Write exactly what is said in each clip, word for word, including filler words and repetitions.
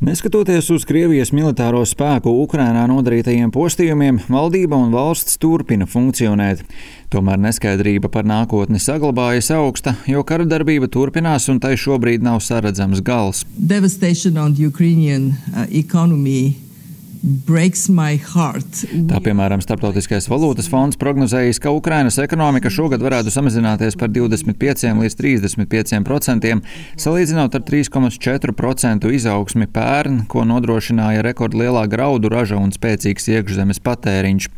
Neskatoties uz Krievijas militāro spēku Ukrainā nodarītajiem postījumiem, valdība un valsts turpina funkcionēt. Tomēr neskaidrība par nākotni saglabājas augsta, jo kara darbība turpinās un tai šobrīd nav saredzams gals. Devastation on the Ukrainian uh, economy breaks my heart. Tā piemēram, Starptautiskais valūtas fonds prognozējis, ka Ukrainas ekonomika šogad varētu samazināties par divdesmit pieciem līdz trīsdesmit pieciem procentiem, salīdzinot ar trīs komats četru procentu izaugsmi pērn, ko nodrošināja rekordlielā graudu raža un spēcīgs iekšzemes patēriņš.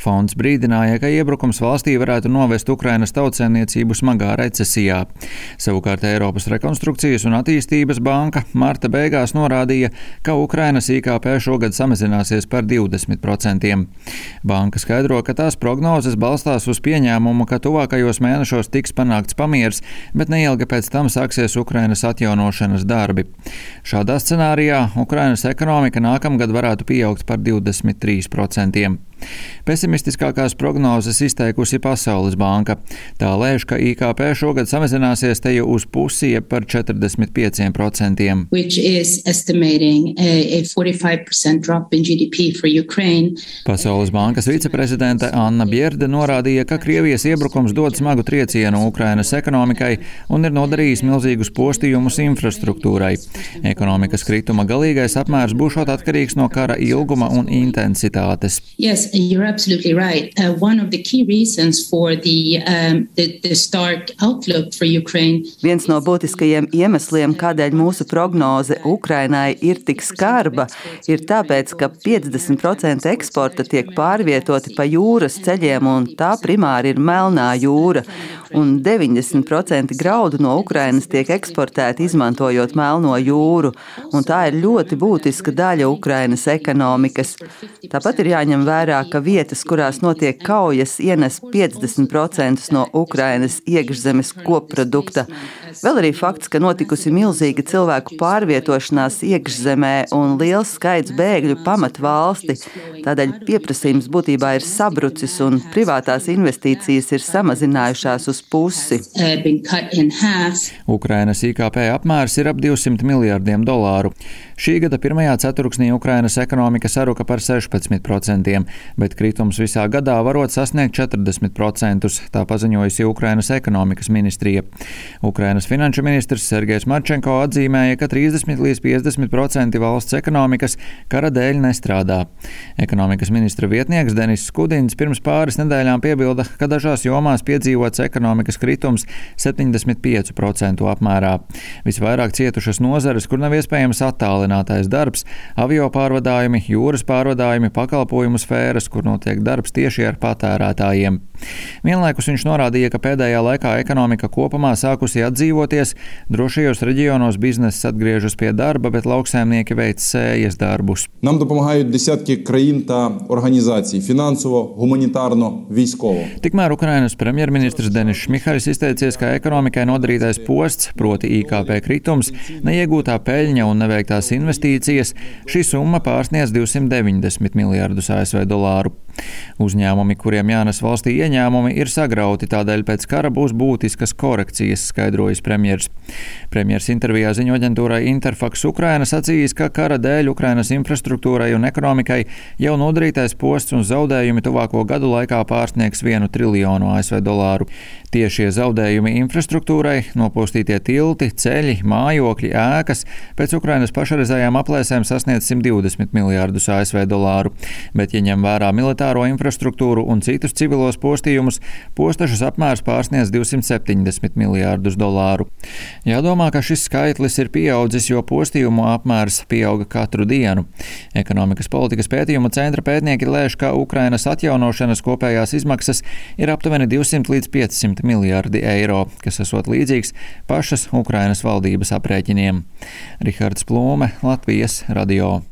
Fonds brīdināja, ka iebrukums valstī varētu novest Ukrainas tautsēmniecību smagā recesijā. Savukārt Eiropas rekonstrukcijas un attīstības banka marta beigās norādīja, ka Ukrainas I K P šogad samazināsies par divdesmit procentiem. Banka skaidro, ka tās prognozes balstās uz pieņēmumu, ka tuvākajos mēnešos tiks panākts pamiers, bet neilgi pēc tam sāksies Ukrainas atjaunošanas darbi. Šādā scenārijā Ukrainas ekonomika nākamgad varētu pieaugt par divdesmit trīs procentiem. Pesimistiskākās prognozes izteikusi Pasaules banka. Tā lēš, ka I K P šogad samazināsies te jau uz pusi, jeb par četrdesmit pieciem procentiem. Pasaules bankas viceprezidente Anna Bjerde norādīja, ka Krievijas iebrukums dod smagu triecienu Ukrainas ekonomikai un ir nodarījis milzīgus postījumus infrastruktūrai. Ekonomikas krituma galīgais apmērs būšot atkarīgs no kara ilguma un intensitātes. Yes, you're absolutely right. Uh, one of the key reasons for the, um, the, the stark outlook for Ukraine. Viens no būtiskajiem iemesliem, kādēļ mūsu prognoze Ukrainai ir tik skarba, ir tāpēc, ka piecdesmit procenti eksporta tiek pārvietoti pa jūras ceļiem, un tā primāri ir Melnā jūra, un deviņdesmit procenti graudu no Ukrainas tiek eksportēti izmantojot Melno jūru, un tā ir ļoti būtiska daļa Ukrainas ekonomikas. Tāpat ir jāņem vērā, ka vietas, kurās notiek kaujas, ienes piecdesmit procentus no Ukrainas iekšzemes kopprodukta. Vēl arī fakts, ka notikusi milzīga cilvēku pārvietošanās iekšzemē un liels skaits bēgļu pamat valsti. Tādēļ pieprasījums būtībā ir sabrucis un privātās investīcijas ir samazinājušās uz pusi. Ukrainas I K P apmērs ir ap divsimt miljardiem dolāru. Šī gada pirmajā ceturksnī Ukrainas ekonomika saruka par sešpadsmit procentiem, bet kritums visā gadā varot sasniegt četrdesmit procentus, tā paziņojusi Ukrainas ekonomikas ministrija. Ukrainas finanšu ministrs Sergejs Marčenko atzīmēja, ka trīsdesmit līdz piecdesmit procenti valsts ekonomikas kara dēļ nestrādā. Ekonomikas ministra vietnieks Denis Skudins pirms pāris nedēļām piebilda, ka dažās jomās piedzīvots ekonomikas kritums septiņdesmit piecu procentu apmērā. Visvairāk cietušas nozares, kur nav iespējams attālinātais darbs, avio pārvadājumi, jūras pārvadājumi, pakalpojumu sfēras, kur notiek darbs tieši ar patērētājiem. Vienlaikus viņš norādīja, ka pēdējā laikā ekonomika kopumā sākusi atdzīvoties, drošajos reģionos bizness atgriežas pie darba, bet lauksaimnieki veic sējas darbus. Нам допомагають десятки країн та організацій фінансово, гуманітарно, військово. Tikmēr Ukrainas premjerministrs Denis Šmihals izteicies, ka ekonomikai nodarītais posts, proti I K P kritums, neiegūtā peļņa un neveiktās investīcijas, šī summa pārsniedz divsimt deviņdesmit miljardus A S V dolāru. Uzņēmumi, kuriem jānes valstī ieņēmumi, ir sagrauti, tādēļ pēc kara būs būtiskas korekcijas, skaidrojas premjers. Premjers intervijā ziņu aģentūrai Interfax Ukraina sacījis, ka kara dēļ Ukrainas infrastruktūrai un ekonomikai jau nodarītais posts un zaudējumi tuvāko gadu laikā pārsniegs vienu triljonu A S V dolāru. Tiešie zaudējumi infrastruktūrai, nopostītie tilti, ceļi, mājokļi, ēkas, pēc Ukrainas pašreizējām aplēsēm sasniedz simt divdesmit miljārdus A S V dolāru, bet, ja ņem vērā militāro infrastruktūru un citus civilos postījumus, postašas apmērs pārsniedz divsimt septiņdesmit miljārdus dolāru. Jādomā, ka šis skaitlis ir pieaudzis, jo postījumu apmērs pieauga katru dienu. Ekonomikas politikas pētījuma centra pētnieki lēš, ka Ukrainas atjaunošanas kopējās izmaksas ir aptuveni divsimt līdz piecsimt miljardi eiro, kas esot līdzīgs pašas Ukrainas valdības aprēķiniem. Rihards Plūme, Latvijas radio.